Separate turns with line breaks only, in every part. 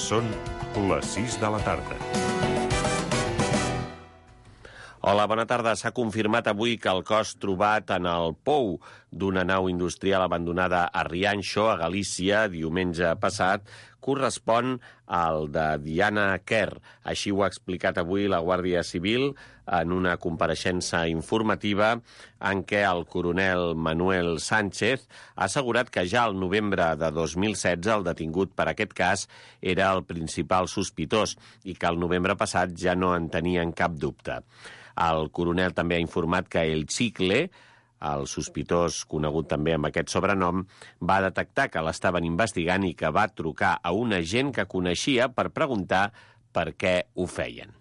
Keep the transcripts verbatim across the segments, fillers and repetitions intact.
Són les sis de la tarda.
Hola, bona tarda. S'ha confirmat avui que el cos trobat en el pou d'una nau industrial abandonada a Rianxo, a Galícia, diumenge passat, correspon al de Diana Quer. Així ho ha explicat avui la Guàrdia Civil en una compareixença informativa en què el coronel Manuel Sánchez ha assegurat que ja al novembre de dos mil setze el detingut per aquest cas era el principal sospitós i que el novembre passat ja no en tenien cap dubte. El coronel també ha informat que el Chicle, el sospitós conegut també amb aquest sobrenom, va detectar que l'estaven investigant i que va trucar a un agent que coneixia per preguntar per què ho feien.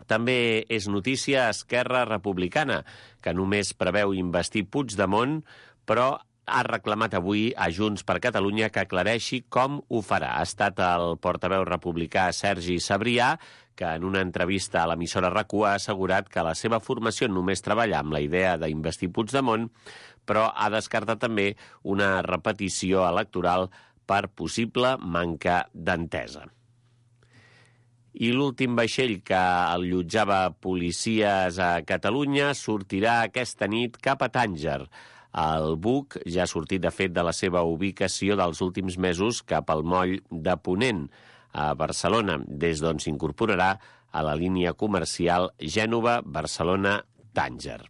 També és notícia Esquerra Republicana, que només preveu investir Puigdemont, però ha reclamat avui a Junts per Catalunya que aclareixi com ho farà. Ha estat el portaveu republicà Sergi Sabrià, que en una entrevista a l'emissora RAC u ha assegurat que la seva formació només treballa amb la idea d'investir Puigdemont, però ha descartat també una repetició electoral per possible manca d'entesa. I l'últim vaixell que allotjava policies a Catalunya sortirà aquesta nit cap a Tànger. El buc ja ha sortit, de fet, de la seva ubicació dels últims mesos cap al moll de Ponent, a Barcelona, des d'on s'incorporarà a la línia comercial Gènova-Barcelona-Tànger.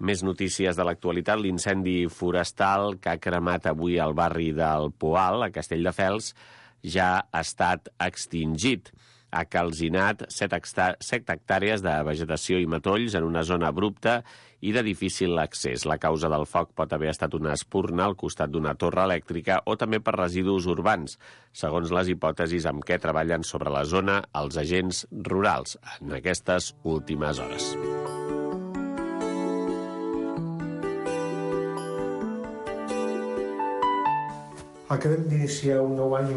Més notícies de l'actualitat. L'incendi forestal que ha cremat avui al barri del Poal, a Castelldefels, ja ha estat extingit. Ha calcinat set hectàrees de vegetació i matolls en una zona abrupta i de difícil accés. La causa del foc pot haver estat una espurna al costat d'una torre elèctrica o també per residus urbans, segons les hipòtesis amb què treballen sobre la zona els agents rurals en aquestes últimes hores.
Acabem d'iniciar un nou any.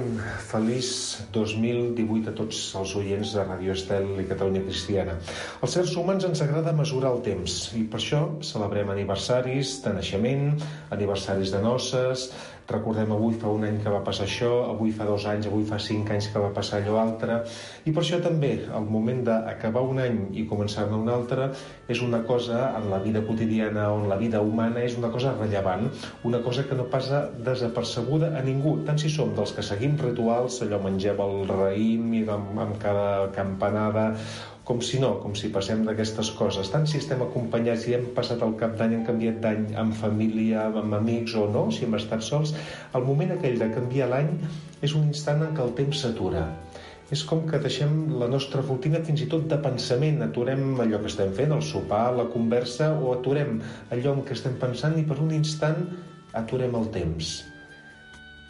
Feliç dos mil divuit a tots els oients de Ràdio Estel i Catalunya Cristiana. Als éssers humans ens agrada mesurar el temps i per això celebrem aniversaris de naixement, aniversaris de noces. Recordem avui fa un any que va passar això, avui fa dos anys, avui fa cinc anys que va passar allò altre. I per això també el moment d'acabar un any i començar-ne un altre és una cosa en la vida quotidiana o en la vida humana és una cosa rellevant, una cosa que no passa desapercebuda a ningú, tant si som dels que seguim rituals, allò mengem el raïm i amb, amb cada campanada, com si no, com si passem d'aquestes coses, tant si estem acompanyats i hem passat el cap d'any, hem canviat d'any amb família, amb amics o no, si hem estat sols, el moment aquell de canviar l'any és un instant en què el temps s'atura. És com que deixem la nostra rutina fins i tot de pensament, aturem allò que estem fent, el sopar, la conversa, o aturem allò en què estem pensant i per un instant aturem el temps.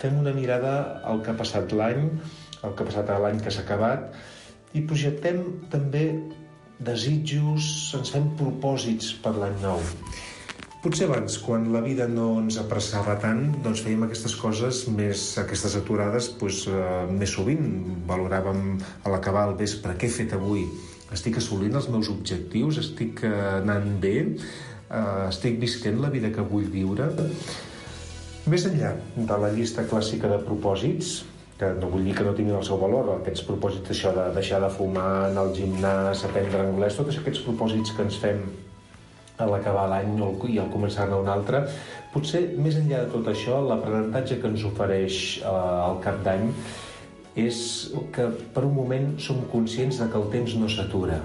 Fem una mirada al que ha passat l'any, al que ha passat l'any que s'ha acabat, i projectem també desitjos, ens fem propòsits per l'any nou. Potser abans, quan la vida no ens apressava tant, doncs fèiem aquestes coses, més aquestes aturades, doncs, eh, més sovint. Valoràvem a l'acabar el vespre, què he fet avui? Estic assolint els meus objectius? Estic eh, anant bé? Eh, estic visquent la vida que vull viure? Més enllà de la llista clàssica de propòsits, que no vull dir que no tinguin el seu valor, aquests propòsits, això de deixar de fumar, anar al gimnàs, aprendre anglès, tots aquests propòsits que ens fem a l'acabar l'any i al començar-ne un altre, potser més enllà de tot això, l'aprenentatge que ens ofereix eh, el cap d'any és que per un moment som conscients de que el temps no s'atura.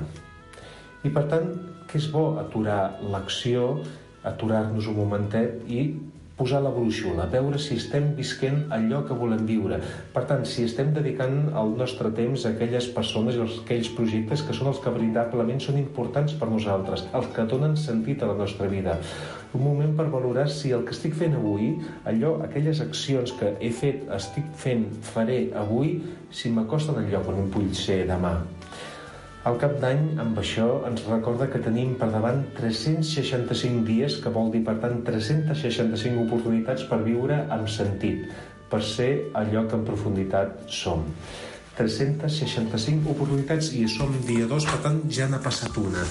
I per tant, que és bo aturar l'acció, aturar-nos un momentet i posar la brúixola, veure si estem visquent allò que volem viure. Per tant, si estem dedicant el nostre temps a aquelles persones i a aquells projectes que són els que veritablement són importants per nosaltres, els que donen sentit a la nostra vida. Un moment per valorar si el que estic fent avui, allò, aquelles accions que he fet, estic fent, faré avui, si m'acosten al lloc on vull ser demà. El cap d'any, amb això, ens recorda que tenim per davant tres-cents seixanta-cinc dies, que vol dir, per tant, tres-centes seixanta-cinc oportunitats per viure amb sentit, per ser allò que en profunditat som. tres-centes seixanta-cinc oportunitats i som dia dos, per tant, ja n'ha passat una.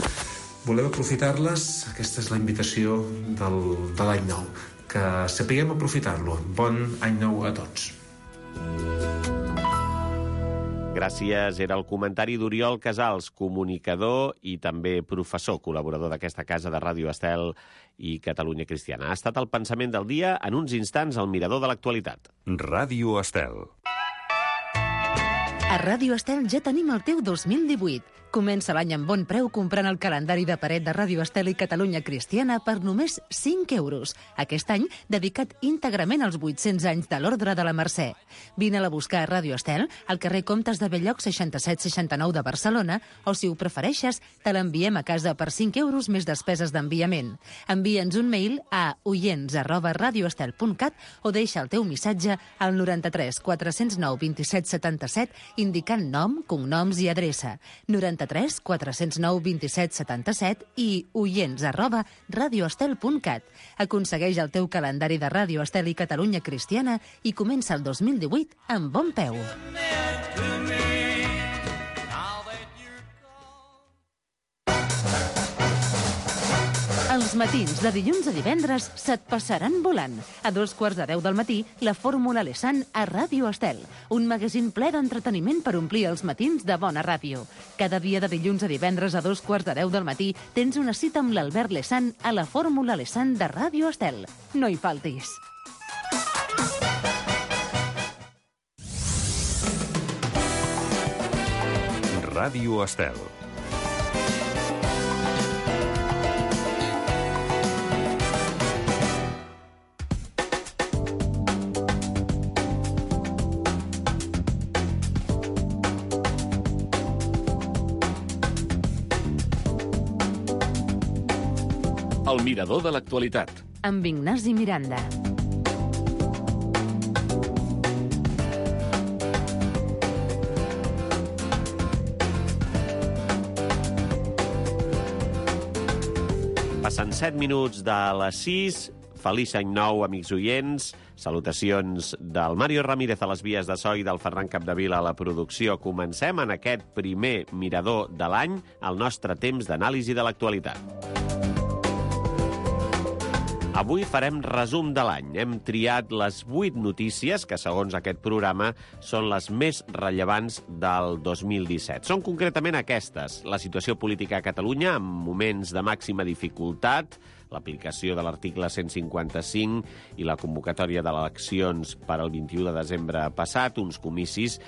Volem aprofitar-les? Aquesta és la invitació del, de l'any nou. Que sapiguem aprofitar-lo. Bon any nou a tots.
gràcies. Era el comentari d'Oriol Casals, comunicador i també professor, col·laborador d'aquesta casa de Ràdio Estel i Catalunya Cristiana. Ha estat el pensament del dia, en uns instants, al mirador de l'actualitat.
Ràdio Estel.
A Ràdio Estel ja tenim el teu dos mil divuit. Comença l'any amb bon preu comprant el calendari de paret de Ràdio Estel i Catalunya Cristiana per només cinc euros. Aquest any dedicat íntegrament als vuit-cents anys de l'Ordre de la Mercè. Vine-la a buscar a Ràdio Estel, al carrer Comtes de Belllloc seixanta-set seixanta-nou de Barcelona, o si ho prefereixes, te l'enviem a casa per cinc euros més despeses d'enviament. Envia'ns un mail a oients arroba radioestel punt cat o deixa el teu missatge al noranta-tres quatre-cents nou vint-i-set setanta-set indicant nom, cognoms i adreça. noranta-tres quatre-cents nou vint-i-set setanta-set i oients arroba radioestel punt cat. Aconsegueix el teu calendari de Ràdio Estel i Catalunya Cristiana i comença el dos mil divuit amb bon peu. Els matins de dilluns a divendres se't passaran volant. A dos quarts de deu del matí, la Fórmula Lesan a Ràdio Estel. Un magazín ple d'entreteniment per omplir els matins de bona ràdio. Cada dia de dilluns a divendres a dos quarts de deu del matí tens una cita amb l'Albert Lesan a la Fórmula Lesan de Ràdio Estel. No hi faltis.
Ràdio Estel.
El mirador de l'actualitat.
Amb Ignasi Miranda.
Passen set minuts de les sis. Feliç any nou, amics oients. Salutacions del Mario Ramírez a les vies de so i del Ferran Capdevila a la producció. Comencem en aquest primer mirador de l'any el nostre temps d'anàlisi de l'actualitat. Avui farem resum de l'any. Hem triat les vuit notícies que, segons aquest programa, són les més rellevants del dos mil disset. Són concretament aquestes: la situació política a Catalunya en moments de màxima dificultat, l'aplicació de l'article cent cinquanta-cinc i la convocatòria d'eleccions per al vint-i-u de desembre passat, uns comicis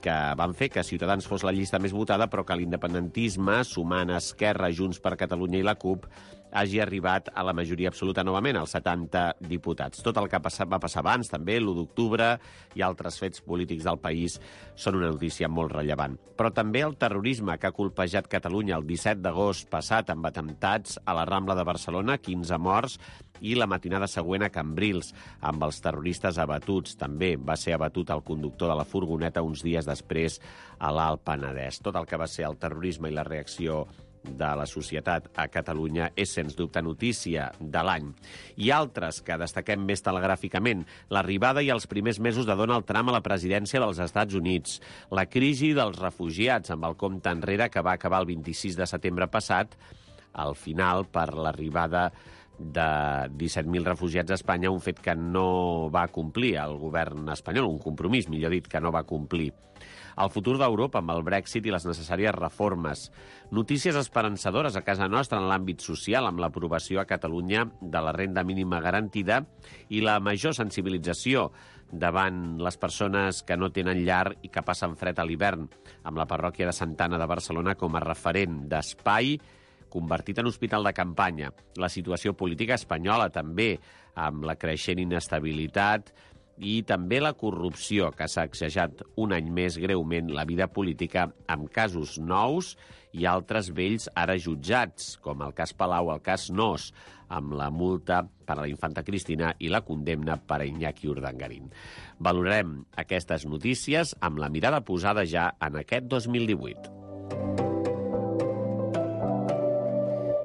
que van fer que Ciutadans fos la llista més votada, però que l'independentisme, sumant Esquerra, Junts per Catalunya i la CUP, hagi arribat a la majoria absoluta novament, als setanta diputats. Tot el que va passar abans, també, l'u d'octubre i altres fets polítics del país, són una notícia molt rellevant. Però també el terrorisme que ha colpejat Catalunya el disset d'agost passat amb atemptats a la Rambla de Barcelona, quinze morts, i la matinada següent a Cambrils, amb els terroristes abatuts. També va ser abatut el conductor de la furgoneta uns dies després a l'Alt Penedès. Tot el que va ser el terrorisme i la reacció de la societat a Catalunya és, sens dubte, notícia de l'any. I altres que destaquem més telegràficament: l'arribada i els primers mesos de Donald Trump a la presidència dels Estats Units, la crisi dels refugiats amb el compte enrere que va acabar el vint-i-sis de setembre passat, al final per l'arribada de disset mil refugiats a Espanya, un fet que no va complir el govern espanyol, un compromís, millor dit, que no va complir. El futur d'Europa amb el Brexit i les necessàries reformes. Notícies esperançadores a casa nostra en l'àmbit social, amb l'aprovació a Catalunya de la renda mínima garantida i la major sensibilització davant les persones que no tenen llar i que passen fred a l'hivern, amb la parròquia de Santa Anna de Barcelona com a referent d'espai convertit en hospital de campanya. La situació política espanyola també, amb la creixent inestabilitat i també la corrupció, que s'ha sacsejat un any més greument la vida política amb casos nous i altres vells ara jutjats, com el cas Palau, el cas Nos, amb la multa per a la infanta Cristina i la condemna per a Iñaki Urdangarín. Valorarem aquestes notícies amb la mirada posada ja en aquest dos mil divuit.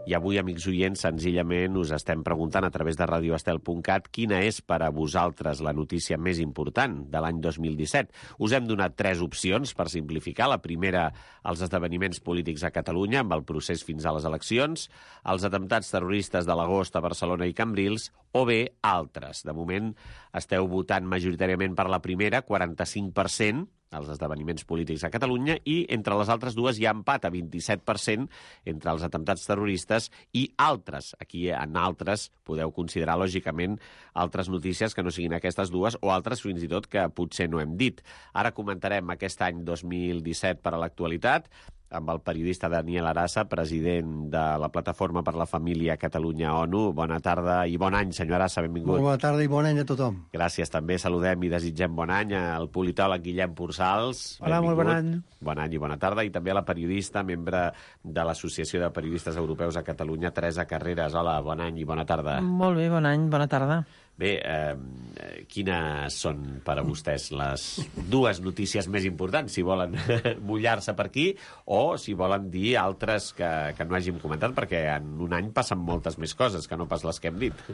I avui, amics oients, senzillament us estem preguntant a través de radioestel punt cat quina és per a vosaltres la notícia més important de l'any dos mil disset. Us hem donat tres opcions per simplificar. La primera, els esdeveniments polítics a Catalunya, amb el procés fins a les eleccions, els atemptats terroristes de l'agost a Barcelona i Cambrils, o bé altres. De moment esteu votant majoritàriament per la primera, quaranta-cinc per cent, els esdeveniments polítics a Catalunya, i entre les altres dues hi ha empat a vint-i-set per cent entre els atemptats terroristes i altres. Aquí en altres podeu considerar, lògicament, altres notícies que no siguin aquestes dues o altres fins i tot que potser no hem dit. Ara comentarem aquest any dos mil disset per a l'actualitat amb el periodista Daniel Arassa, president de la Plataforma per la Família Catalunya-ONU. Bona tarda i bon any, senyor Arassa, benvingut.
Molt bona tarda i bon any a tothom.
Gràcies, també saludem i desitgem bon any al politòleg Guillem Pursals.
Hola,
benvingut.
molt bon any.
Bon any i bona tarda. I també a la periodista, membre de l'Associació de Periodistes Europeus a Catalunya, Teresa Carreras. Hola, bon any i bona tarda.
Molt bé, bon any, bona tarda.
Bé, eh, quines són per a vostès les dues notícies més importants, si volen mullar-se per aquí o si volen dir altres que, que no hàgim comentat, perquè en un any passen moltes més coses que no pas les que hem dit.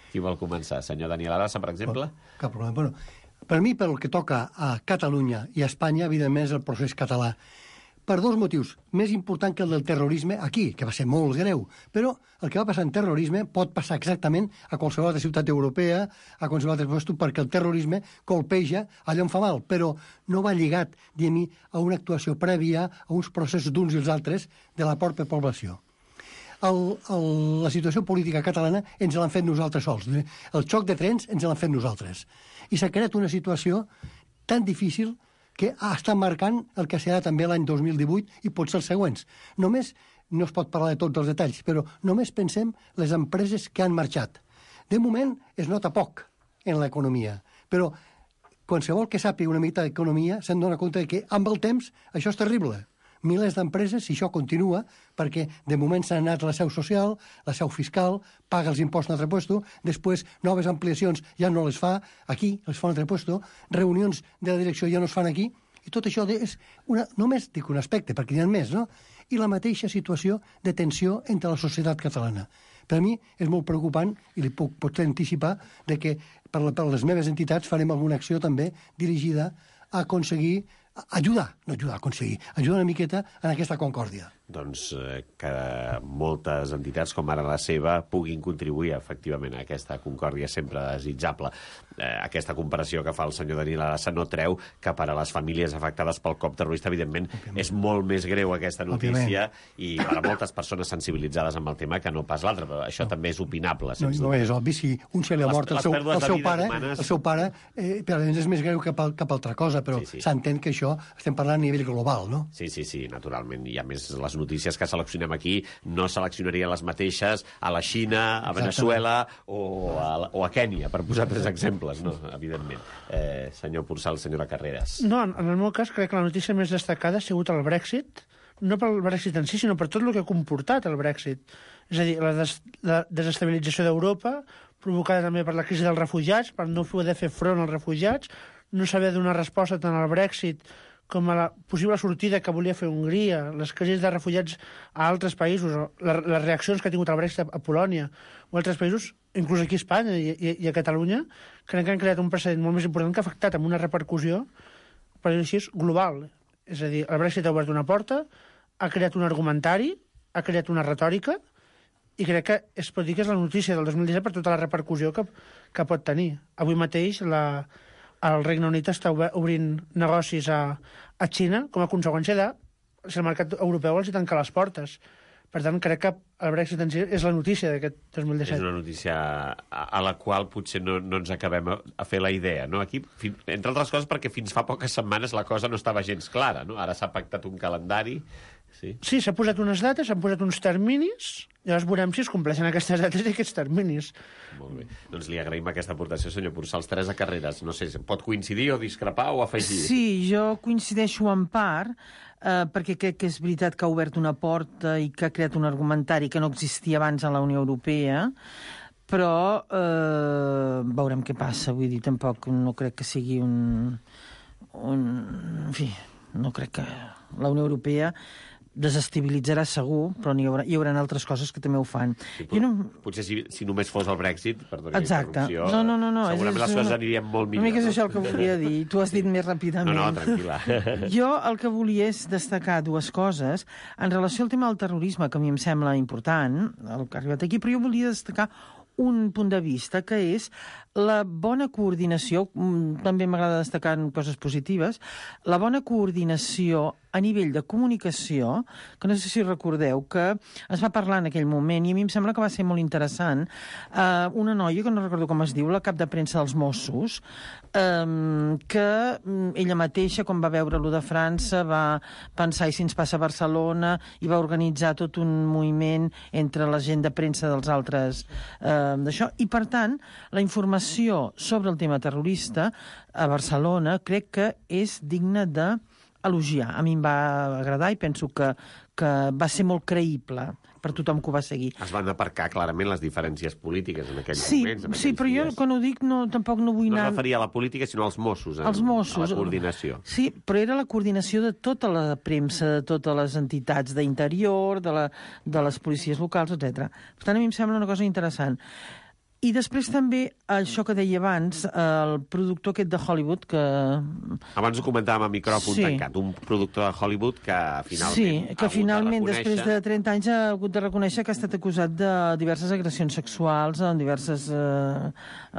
Qui vol començar? Senyor Daniel Arassa, per exemple?
Oh, cap problema. Bueno, per mi, pel que toca a Catalunya i a Espanya, evidentment és el procés català. Per dos motius. Més important que el del terrorisme aquí, que va ser molt greu. Però el que va passar en terrorisme pot passar exactament a qualsevol altra ciutat europea, a qualsevol altre lloc, perquè el terrorisme colpeja allà on fa mal, però no va lligat, diguem-hi, a una actuació prèvia, a uns processos d'uns i els altres de la pròpia població. El, el, la situació política catalana ens l'han fet nosaltres sols. El xoc de trens ens l'han fet nosaltres. I s'ha creat una situació tan difícil que està marcant el que serà també l'any dos mil divuit i potser els següents. Només, no es pot parlar de tots els detalls, però només pensem les empreses que han marxat. De moment es nota poc en l'economia, però qualsevol que sàpiga una mica d'economia se'n dona compte que amb el temps això és terrible. Milers d'empreses, si això continua, perquè de moment s'ha anat la seu social, la seu fiscal, paga els impostos en altre puesto, després noves ampliacions ja no les fa aquí, les fa en altre puesto, reunions de la direcció ja no es fan aquí, i tot això és una, només dic un aspecte, perquè n'hi ha més, no? I la mateixa situació de tensió entre la societat catalana. Per a mi és molt preocupant, i li puc potser anticipar, de que per, la, per les meves entitats farem alguna acció també dirigida a aconseguir ajudar, no ajudar a aconseguir, ajudar una miqueta en aquesta concòrdia.
Doncs eh, que moltes entitats com ara la seva puguin contribuir efectivament a aquesta concòrdia sempre desitjable. Eh, aquesta comparació que fa el senyor Daniel Arassa no treu que per a les famílies afectades pel cop terrorista, evidentment, òbviament, és molt més greu aquesta notícia, òbviament, i per a moltes persones sensibilitzades amb el tema que no pas l'altre, però això no. també és opinable. No,
no és obvi, si un se li ha mort el seu, el seu pare, humanes... el seu pare eh, per a és més greu que cap, cap altra cosa, però s'entén sí, sí. que això estem parlant a nivell global, no?
Sí, sí, sí, naturalment. I a més, les notícies que seleccionem aquí no seleccionarien les mateixes a la Xina, a Venezuela o a, o a Kènia, per posar tres exemples, no? Evidentment. Eh, senyor Pursal, senyora Carreras.
No, en el meu cas crec que la notícia més destacada ha sigut el Brexit, no pel Brexit en si, sinó per tot el que ha comportat el Brexit. És a dir, la, des, la desestabilització d'Europa, provocada també per la crisi dels refugiats, per no poder fer front als refugiats, no saber donar resposta tant al Brexit com a la possible sortida que volia fer Hongria, les crisis de refugiats a altres països, les, les reaccions que ha tingut el Brexit a, a Polònia o altres països, inclús aquí a Espanya i, i, i a Catalunya, crec que han creat un precedent molt més important que ha afectat amb una repercussió, per dir-ho així, global. És a dir, el Brexit ha obert una porta, ha creat un argumentari, ha creat una retòrica, i crec que es pot dir que és la notícia del dos mil disset per tota la repercussió que, que pot tenir. Avui mateix la... el Regne Unit està obrint negocis a, a Xina com a conseqüència de si el mercat europeu els hi tanca les portes. Per tant, crec que el Brexit en si és la notícia d'aquest dos mil disset.
És una notícia a, a la qual potser no, no ens acabem a, a fer la idea, no? Aquí, fin, entre altres coses, perquè fins fa poques setmanes la cosa no estava gens clara, no? Ara s'ha pactat un calendari. Sí,
sí, s'ha posat unes dates, s'han posat uns terminis, i llavors veurem si es compleixen aquestes dates i aquests terminis.
Molt bé. Doncs li agraïm aquesta aportació, senyor Pursals. Teresa Carreras, no sé, pot coincidir o discrepar o afegir?
Sí, jo coincideixo en part, eh, perquè crec que és veritat que ha obert una porta i que ha creat un argumentari que no existia abans a la Unió Europea, però eh, veurem què passa. Vull dir, tampoc no crec que sigui un... un en fi, no crec que la Unió Europea desestabilitzarà segur, però hi haurà, hi haurà altres coses que també ho fan.
Sí, no... Potser si, si només fos el Brexit, perdoni la interrupció,
no, no, no, no.
segurament
és,
les coses
una...
anirien molt millor.
Una mica és
no?
això el que volia dir. Tu has dit més ràpidament.
No, no, tranquil·la.
Jo el que volia és destacar dues coses en relació al tema del terrorisme, que a mi em sembla important, el que ha arribat aquí, però jo volia destacar un punt de vista, que és la bona coordinació, també m'agrada destacar coses positives, la bona coordinació a nivell de comunicació, que no sé si recordeu, que es va parlar en aquell moment, i a mi em sembla que va ser molt interessant, eh, una noia, que no recordo com es diu, la cap de premsa dels Mossos, eh, que ella mateixa, quan va veure lo de França, va pensar, i si ens passa a Barcelona, i va organitzar tot un moviment entre la gent de premsa dels altres eh, d'això, i per tant, la informació sobre el tema terrorista a Barcelona crec que és digna d'elogiar. A mi em va agradar i penso que, que va ser molt creïble per tothom que ho va seguir.
Es van aparcar clarament les diferències polítiques en aquells
sí,
moments. En
sí, però
dies.
Jo quan ho dic no, tampoc no vull
no
anar...
No es referia a la política, sinó als Mossos. En,
als Mossos.
A la coordinació.
Sí, però era la coordinació de tota la premsa, de totes les entitats d'interior, de, la, de les policies locals, etcètera. Per tant, a mi em sembla una cosa interessant. I després també, això que deia abans, el productor aquest de Hollywood, que...
Abans ho comentàvem a micròfon
sí.
tancat, un productor de Hollywood que finalment
sí, que finalment,
de
després de trenta anys, ha hagut de reconèixer que ha estat acusat de diverses agressions sexuals en diverses eh,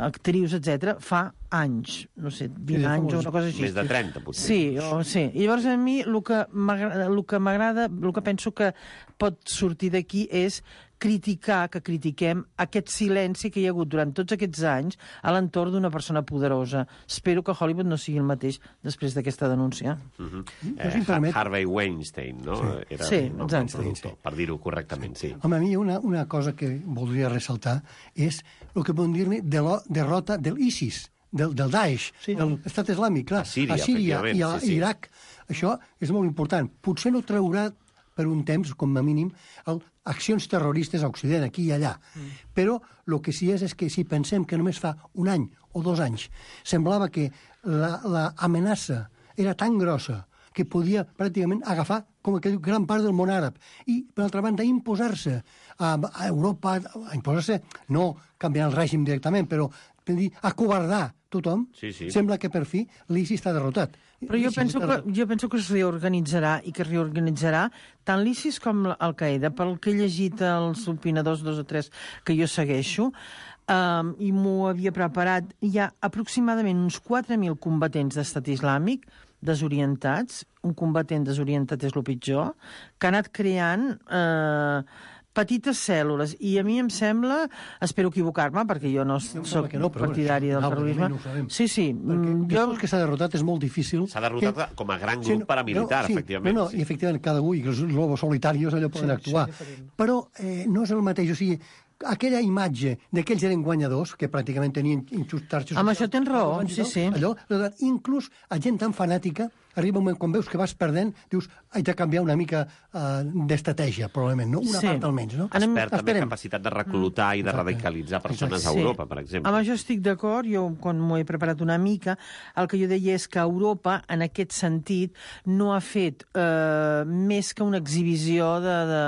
actrius, etcètera, fa anys, no sé, vint anys o una cosa així.
Més de trenta, potser.
Sí, o, sí. I llavors a mi el que m'agrada, el que penso que pot sortir d'aquí és criticar, que critiquem aquest silenci que hi ha hagut durant tots aquests anys a l'entorn d'una persona poderosa. Espero que Hollywood no sigui el mateix després d'aquesta denúncia.
Uh -huh. eh, permet... Harvey Weinstein, no?
Sí,
Era
sí,
el nom del productor, sí. Per dir-ho correctament, sí.
Home, a mi una, una cosa que voldria ressaltar és el que podem dir-ne de la derrota del ISIS, del, del Daesh, sí. de l'Estat Islàmic, clar,
a Síria,
a Síria i a
sí, sí.
Iraq. Això és molt important. Potser no traurà per un temps, com a mínim, el, accions terroristes a Occident, aquí i allà. Mm. Però el que sí és, és que si pensem que només fa un any o dos anys semblava que l'amenaça la, era tan grossa que podia pràcticament agafar com que gran part del món àrab i, per altra banda, imposar-se a, a Europa, a imposar-se, no canviar el règim directament, però dir, acovardar tothom,
sí, sí.
Sembla que per fi l'ISIS està derrotat.
Però jo penso, que, jo penso que es reorganitzarà i que es reorganitzarà tant l'ISIS com Al-Qaeda. Pel que he llegit els opinadors, dos o tres que jo segueixo, um, i m'ho havia preparat, hi ha aproximadament uns quatre mil combatents d'estat islàmic desorientats, un combatent desorientat és el pitjor, que ha anat creant... Eh, petites cèl·lules, i a mi em sembla, espero equivocar-me, perquè jo no soc no, partidari del terrorisme. No
sí, sí. Perquè jo... que s'ha derrotat és molt difícil.
S'ha derrotat que... com a gran grup sí, no, paramilitar,
no, sí,
efectivament.
No, no, sí. I efectivament, cada un, i els lobos solitarios allò poden sí, actuar. Sí, però eh, no és el mateix, o sigui, aquella imatge de que ells eren guanyadors, que pràcticament tenien xarxes...
Amb això tens raó, sí, sí.
Allò, inclús a gent tan fanàtica, arriba un moment, quan veus que vas perdent, dius, haig de canviar una mica uh, d'estratègia, probablement, no? Una sí. part almenys, no?
Es perd també capacitat de reclutar mm. i de Exacte. radicalitzar persones Exacte. a Europa, per exemple.
Amb això estic d'acord, jo quan m'ho he preparat una mica, el que jo deia és que Europa, en aquest sentit, no ha fet eh, més que una exhibició de, de,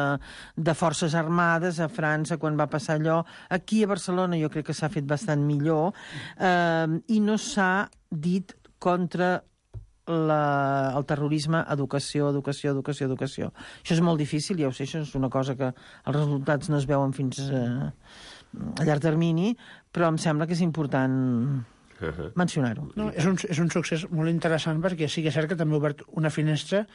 de forces armades a França quan va passar allò. Aquí a Barcelona jo crec que s'ha fet bastant millor eh, i no s'ha dit contra La, el terrorisme, educació, educació, educació, educació. Això és molt difícil, ja ho sé, això és una cosa que els resultats no es veuen fins eh, a llarg termini, però em sembla que és important mencionar-ho.
No, és, un, és un succés molt interessant perquè sí que és cert que també ha obert una finestra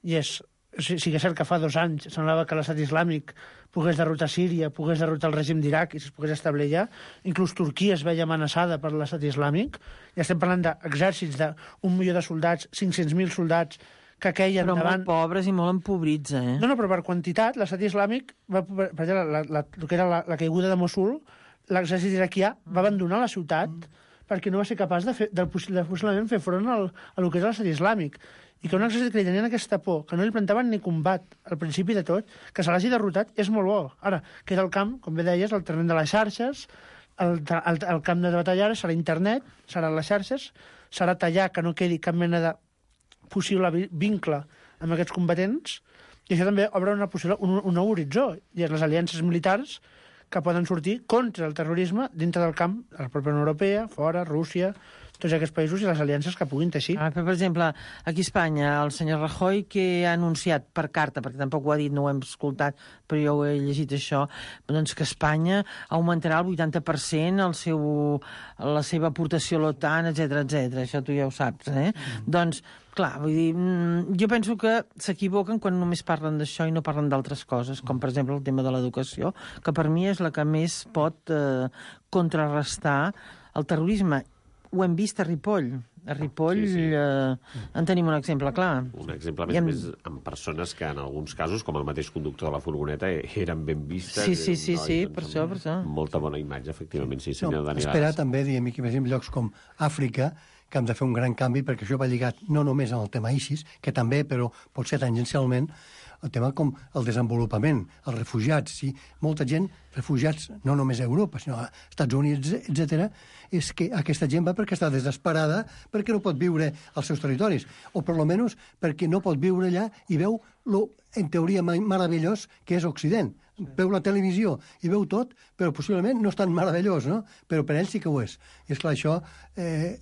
i és sí, sí que és cert que fa dos anys semblava que l'estat islàmic pogués derrotar Síria, pogués derrotar el règim d'Iraq i es pogués establir allà. Inclús Turquia es veia amenaçada per l'estat islàmic. Ja estem parlant d'exèrcits d'un milió de soldats, cinc-cents mil soldats que queien
però
davant...
molt pobres i molt empobrits, eh?
No, no, però per quantitat, l'estat islàmic, va, per exemple, la, la, el que era la, la caiguda de Mossul, l'exèrcit iraquià va abandonar la ciutat mm. perquè no va ser capaç de, fer, de, de possiblement fer front al, a lo que era l'estat islàmic. I que un exèrcit que li tenien aquesta por, que no li plantaven ni combat al principi de tot, que se l'hagi derrotat, és molt bo. Ara, queda el camp, com bé deies, el terreny de les xarxes, el, el, el camp de batalla serà internet, seran les xarxes, serà tallar que no quedi cap mena de possible vincle amb aquests combatents, i això també obre una possible, un, un nou horitzó, i és les aliances militars que poden sortir contra el terrorisme dintre del camp de la pròpia Unió Europea, fora, Rússia, tots aquests països i les aliances que puguin teixir.
Ah, però, per exemple, aquí a Espanya, el senyor Rajoy, que ha anunciat per carta, perquè tampoc ho ha dit, no ho hem escoltat, però jo ho he llegit això, doncs que Espanya augmentarà el vuitanta per cent el seu, la seva aportació a l'OTAN, etcètera, etcètera. Això tu ja ho saps, eh? Mm. Doncs, clar, vull dir, jo penso que s'equivoquen quan només parlen d'això i no parlen d'altres coses, com per exemple el tema de l'educació, que per mi és la que més pot eh, contrarrestar el terrorisme. Ho hem vist a Ripoll. A Ripoll sí, sí. Eh, en tenim un exemple clar.
Un exemple, més, hem... més amb persones que en alguns casos, com el mateix conductor de la furgoneta, eren ben vistes.
Sí, sí, sí,
noi,
sí
doncs,
per això, per això.
Molta bona imatge, efectivament, sí, senyor
no,
Daniel.
Espera també, diguem, que en llocs com Àfrica, que hem de fer un gran canvi, perquè això va lligat no només amb el tema ISIS, que també, però pot ser tangencialment, el tema com el desenvolupament, els refugiats, sí, molta gent, refugiats no només a Europa, sinó a Estats Units, etcètera, és que aquesta gent va perquè està desesperada, perquè no pot viure als seus territoris, o per lo menys perquè no pot viure allà i veu lo, en teoria, meravellós que és Occident. Veu la televisió i veu tot, però possiblement no és tan meravellós, no? Però per ell sí que ho és. I és clar, això eh,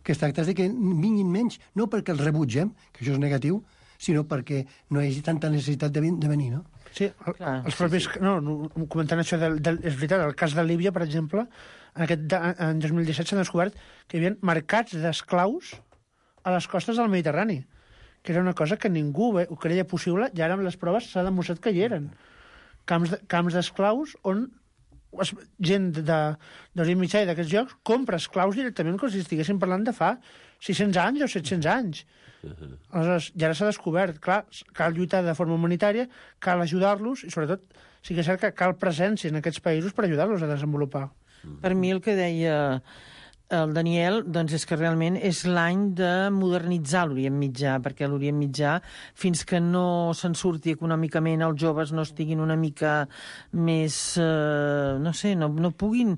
que es tracta de que vinguin menys, no perquè els rebutgem, que això és negatiu, sinó perquè no hi hagi tanta necessitat de, de venir, no?
Sí, el, Clar, els propis... Sí, sí. No, comentant això, del, del, és veritat, el cas de Líbia, per exemple, en, aquest, en dos mil disset s'ha descobert que hi havia mercats d'esclaus a les costes del Mediterrani, que era una cosa que ningú ho creia possible, i ara amb les proves s'ha demostrat que hi eren. Camps, de, camps d'esclaus on es, gent d'Orient Mitjà i d'aquests llocs compra esclaus directament com si estiguessin parlant de fa sis-cents anys o set-cents anys. Uh-huh. Aleshores, ja ara s'ha descobert, clar, cal lluitar de forma humanitària, cal ajudar-los i sobretot sí que és cert que cal presència en aquests països per ajudar-los a desenvolupar.
Uh-huh. Per mi el que deia el Daniel doncs és que realment és l'any de modernitzar l'Orient Mitjà, perquè l'Orient Mitjà, fins que no se'n surti econòmicament, els joves no estiguin una mica més, eh, no sé, no, no puguin,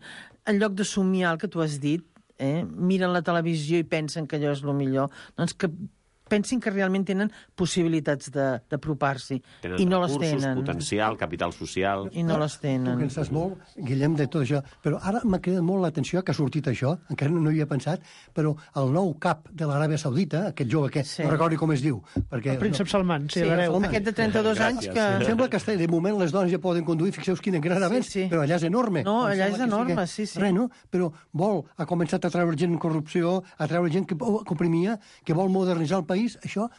en lloc de somiar el que tu has dit, eh, miren la televisió i pensen que allò és el millor, doncs que pensin que realment tenen possibilitats d'apropar-s'hi. I no les tenen.
Tenen potencial, capital social...
I no les tenen.
Tu que en saps molt, Guillem, de tot això. Però ara m'ha cridat molt l'atenció que ha sortit això, encara no hi havia pensat, però el nou cap de l'Aràbia Saudita, aquest jove que sí. No recordo com es diu. Perquè,
el príncep
no...
Salman, sí,
sí
l'hereu.
Aquest de trenta-dos anys que...
Em sembla que de moment les dones ja poden conduir, fixeu quin gran avenç, sí, sí. Però allà és enorme.
No, allà és enorme, sí, sí.
Res, no? Però vol, ha començat a treure gent en corrupció, a treure gent que comprimia, que vol modernitzar el país, això...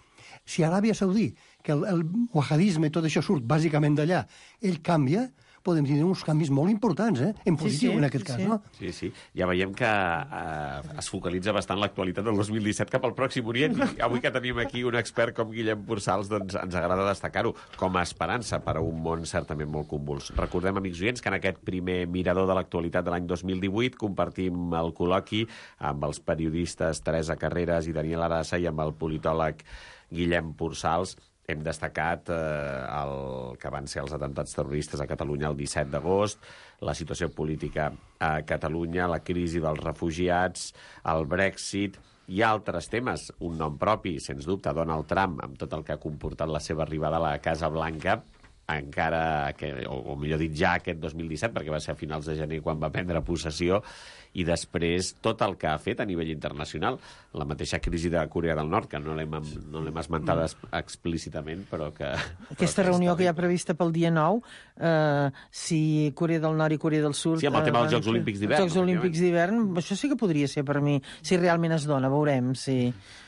Si Aràbia Saudí, que el, el wahhabisme i tot això surt bàsicament d'allà, ell canvia, podem tenir uns canvis molt importants, eh? En positiu, sí, sí, en aquest cas,
sí.
No?
Sí, sí. Ja veiem que eh, es focalitza bastant l'actualitat del dos mil disset cap al Pròxim Orient. I avui que tenim aquí un expert com Guillem Pursals, doncs ens agrada destacar-ho com a esperança per a un món certament molt convuls. Recordem, amics oients, que en aquest primer mirador de l'actualitat de l'any dos mil divuit compartim el col·loqui amb els periodistes Teresa Carreras i Daniel Arassa i amb el politòleg Guillem Pursals. Hem destacat eh, el que van ser els atemptats terroristes a Catalunya el disset d'agost, la situació política a Catalunya, la crisi dels refugiats, el Brexit i altres temes. Un nom propi, sens dubte, Donald Trump, amb tot el que ha comportat la seva arribada a la Casa Blanca, encara que, o, o millor dit ja aquest dos mil disset, perquè va ser a finals de gener quan va prendre possessió, i després tot el que ha fet a nivell internacional, la mateixa crisi de Corea del Nord, que no l'hem no l'hem esmentada mm. explícitament, però que...
Aquesta però reunió que hi ha prevista pel dia nou, eh, si Corea del Nord i Corea del Sud...
Sí, amb el tema dels Jocs Olímpics d'hivern.
Els Jocs Olímpics d'hivern, això sí que podria ser per mi, si realment es dona, veurem, si...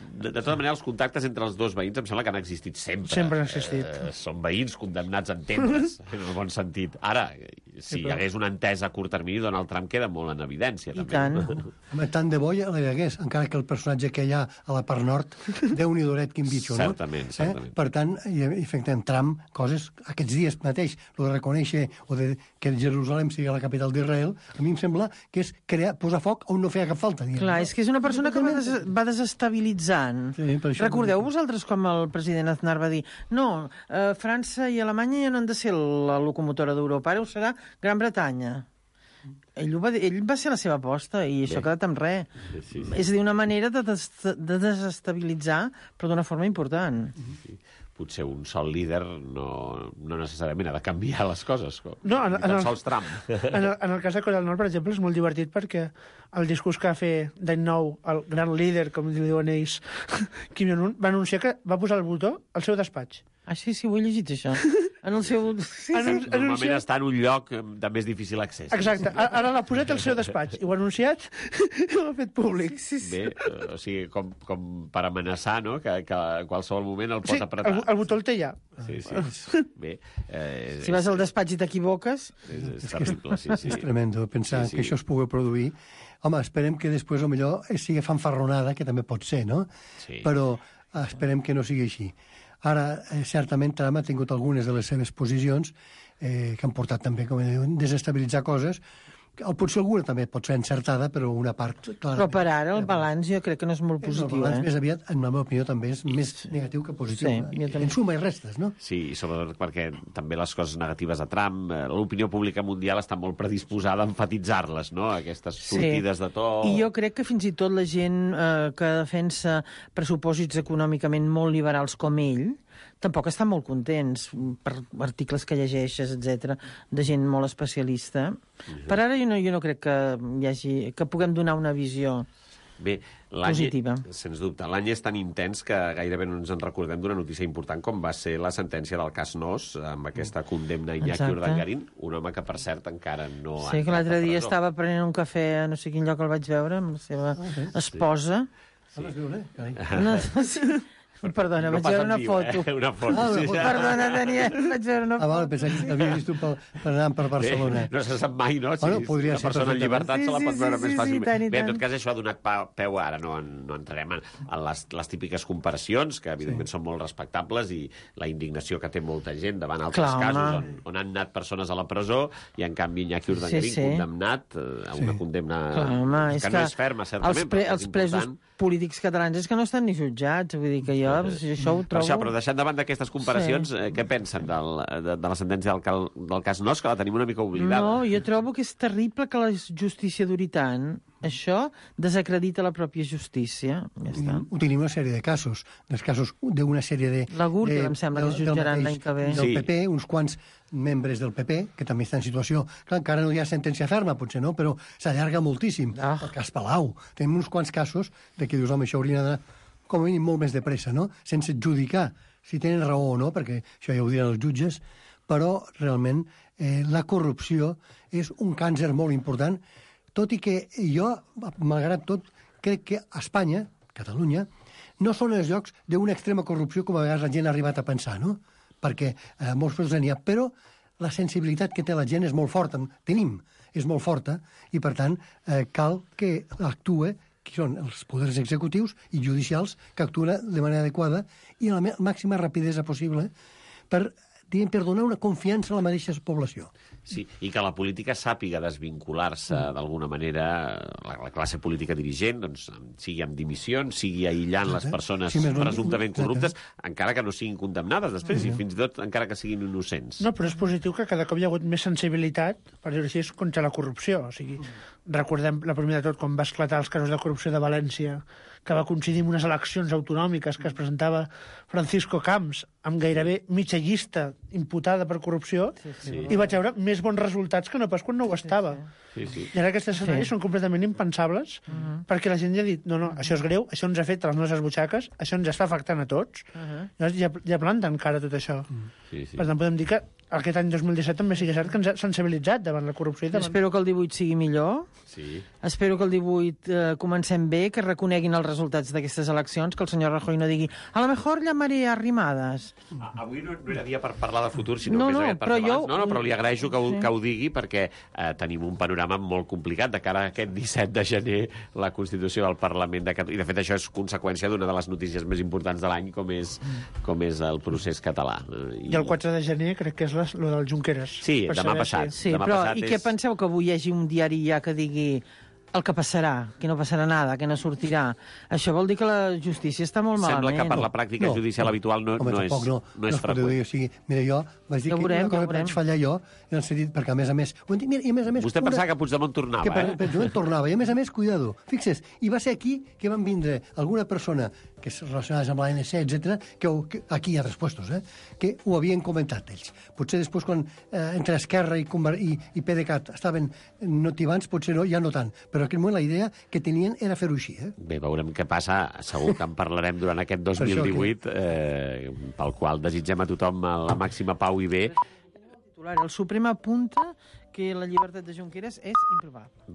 De, de tota manera, els contactes entre els dos veïns em sembla que han existit sempre.
Sempre han existit.
Eh, són veïns condemnats a entendre's, en el bon sentit. Ara, si hi hagués una entesa a curt termini, Donald Trump queda molt en evidència.
I
també.
tant.
Home, tant de bo ja la hi hagués, encara que el personatge que hi ha a la part nord, Déu-n'hi doret, quin bitxo, no?
Certament, certament.
Eh? Per tant, i, efectivament, Trump, coses, aquests dies mateix, el de reconèixer o de que Jerusalem sigui la capital d'Israel, a mi em sembla que és crear, posar foc on no feia cap falta. Diguem,
Clar,
no?
és que és una persona que va, des va desestabilitzant.
Sí, per això
Recordeu
no...
vosaltres com el president Aznar va dir no, eh, França i Alemanya ja no han de ser la locomotora d'Europa, ara ho serà Gran Bretanya. ell, ho va, dir- ell va ser la seva aposta i això
Bé.
ha quedat amb res.
Sí, sí.
És a dir, una manera de, des de desestabilitzar, però d'una forma important.
Sí. Potser un sol líder no, no necessàriament ha de canviar les coses. Com,
No, en-
ni tan
en el-
sols Trump.
En el, en el cas de Corea del Nord, per exemple, és molt divertit perquè el discurs que va fer d'any nou, el gran líder, com li diuen ells, Kim Jong-un, va anunciar que va posar el botó al seu despatx.
Ah, sí, sí, ho he llegit, això. En el seu... Sí,
Anun-
sí.
Normalment
anunciat-
està en un lloc de més difícil accés.
Exacte, a- ara l'ha posat al seu despatx i ho ha anunciat i ho ha fet públic.
Sí, sí.
Bé, eh, o sigui, com, com per amenaçar, no?, que, que a qualsevol moment el pot
Sí,
apretar.
el, el botó el té ja.
Sí, sí. Bé, eh,
Si vas al despatx i t'equivoques...
és, és terrible, sí, sí.
És tremendo pensar
Sí, sí.
que això es pugui produir. Home, esperem que després, o millor, sigui fanfarronada, que també pot ser, no?
Sí.
Però eh, esperem que no sigui així. Ara, eh, certament, Trump ha tingut algunes de les seves posicions eh, que han portat també, com diuen, desestabilitzar coses. El, potser alguna també pot ser encertada, però una part... Clar,
Però per ara el balanç jo crec que no és molt positiu,
el balanç
eh?
més aviat, en la meva opinió, també és més negatiu que positiu.
Sí,
eh?
jo també.
En suma i restes, no?
Sí, i sobretot perquè també les coses negatives de Trump, eh, l'opinió pública mundial està molt predisposada a enfatitzar-les, no?, aquestes sortides de to...
I jo crec que fins i tot la gent eh, que defensa pressupòsits econòmicament molt liberals com ell tampoc estan molt contents per articles que llegeixes, etcètera, de gent molt especialista. Per ara jo no, jo no crec que hi hagi, que puguem donar una visió...
Bé, l'any,
Positiva.
sens dubte, l'any és tan intens que gairebé no ens en recordem d'una notícia important com va ser la sentència del cas Nos, amb aquesta condemna a Iñaki
Exacte.
Urdangarín, un home que, per cert, encara no ha
Sé que
entrat
l'altre
a
dia
presó.
estava prenent un cafè a no sé quin lloc el vaig veure amb la seva esposa.
Sí. Carai.
No, sí. Perdona,
No
vaig
pas
veure
en
una
viu,
foto.
Eh? Una foto,
Ah, una
sí.
foto.
Perdona, Daniel, vaig veure una
Ah,
foto.
vale, pensava que havia vist tu per, per anar per Barcelona.
Bé, no se sap mai, no? Si
Bueno, podria
una
ser
persona en
perfectament.
llibertat
Sí,
se la
sí,
pot veure
sí,
més
sí,
fàcilment.
sí, tant i
Bé, en
tant.
tot cas, això ha donat pa- peu, ara no, en, no entrarem en, en les, les típiques comparacions, que evidentment sí. són molt respectables, i la indignació que té molta gent davant altres
Clar,
casos
home.
on, on han anat persones a la presó i, en canvi, Iñaki Urdangarín
Sí, sí.
condemnat eh, a una
Sí.
condemna
Clar, home,
que,
és
no
que
és ferma, certament,
els, pre,
però que és
els presos
important.
polítics catalans és que no estan ni jutjats, vull dir que jo això ho
Per
trobo...
això, però deixant davant d'aquestes comparacions,
Sí.
eh, què pensen del, de, de la sentència del, cal, del cas Nos, que la tenim una mica oblidada?
No, jo trobo que és terrible que la justícia duri tant. Això desacredita la pròpia justícia. Ja està.
Ho tenim una sèrie de casos, dels casos d'una sèrie de...
La Gürtel,
de-
em sembla que es
del- del
jutjaran
mateix-
l'any que ve.
Del
Sí.
P P, uns quants membres del P P, que també estan en situació... Clar, encara no hi ha sentència ferma, potser no, però s'allarga moltíssim.
Ah.
El cas Palau. Tenim uns quants casos de que dius, home, això hauria d'anar com a mínim molt més de pressa, no? Sense adjudicar si tenen raó o no, perquè això ja ho diran els jutges, però realment eh, la corrupció és un càncer molt important, tot i que jo, malgrat tot, crec que a Espanya, Catalunya, no són els llocs d'una extrema corrupció com a vegades la gent ha arribat a pensar, no? Perquè eh, molts casos n'hi ha, però la sensibilitat que té la gent és molt forta, tenim, és molt forta, i per tant eh, cal que actue, que són els poders executius i judicials, que actuen de manera adequada i amb la màxima rapidesa possible per, diguem, per donar una confiança a la mateixa població.
Sí, i que la política sàpiga desvincular-se
Mm.
d'alguna manera, la, la classe política dirigent, doncs, sigui amb dimissions, sigui aïllant les
Exacte.
persones
Sí, més no-
presumptament
exacte.
corruptes, encara que no siguin condemnades després, i fins i tot encara que siguin innocents.
No, però és positiu que cada cop hi ha hagut més sensibilitat, per dir-ho així, contra la corrupció. O sigui, recordem, la primera de tot, quan va esclatar els casos de corrupció de València, que va coincidir amb unes eleccions autonòmiques que es presentava Francisco Camps amb gairebé mitja llista imputada per corrupció, sí, sí. i vaig veure més bons resultats que no pas quan no ho estava.
Sí, sí.
I ara aquests escenaris sí. són completament impensables, uh -huh. perquè la gent ja ha dit, no, no, això és greu, això ens ha fet a les nostres butxaques, això ens està afectant a tots. Uh -huh. Llavors ja, ja planten cara a tot això. Uh -huh.
Sí, sí.
Per tant, podem dir que aquest any dos mil disset també sigui cert que ens ha sensibilitzat davant la corrupció. I davant...
Espero que el divuit sigui millor.
Sí.
Espero que el divuit eh, comencem bé, que reconeguin els resultats d'aquestes eleccions, que el senyor Rajoy no digui a lo mejor llamaré arrimadas.
Avui no, no era dia per parlar de futur, sinó
No,
més
no,
aviat per
però
parlar...
jo-
No, no, però li agraeixo que ho,
Sí.
que ho digui, perquè eh, tenim un panorama molt complicat de cara a aquest disset de gener, la Constitució del Parlament de Catalunya. I, de fet, això és conseqüència d'una de les notícies més importants de l'any, com és, com és el procés català.
I el quatre de gener crec que és la, lo del Junqueras.
Sí,
Per
demà
saber
passat.
si-
Sí,
Demà
però
passat
i
és-
què penseu que avui hi hagi un diari ja que digui el que passarà, que no passarà nada, que no sortirà. Això vol dir que la justícia està molt
Sembla
malament.
que per la pràctica
No,
judicial
no.
habitual no,
Home,
no, és,
tampoc no,
no és
es pot dir,
freqüent.
o sigui, mira, jo vaig dir
Ja ho
que
veurem,
una cosa
ja ho
que vaig
veurem.
fallar jo, en el sentit, perquè a més a més... ho entenc, Mira, i a més a més...
Vostè
una-
pensava que Puigdemont tornava,
que per,
eh?
per Puigdemont tornava, i a més a més, cuidado, fixes, i va ser aquí que van vindre alguna persona que és relacionada amb l'A N C, etcètera, que, ho- que aquí hi ha tres puestos, eh, que ho havien comentat ells. Potser després, quan eh, entre Esquerra i, Conver i, i PDeCAT estaven motivants, potser no, ja no tant, però en aquell moment la idea que tenien era fer-ho així. Eh?
Bé, veurem què passa. Segur que en parlarem durant aquest dos mil divuit, eh, pel qual desitgem a tothom la màxima pau i bé.
El Suprem apunta que la llibertat de Junqueras és improbable.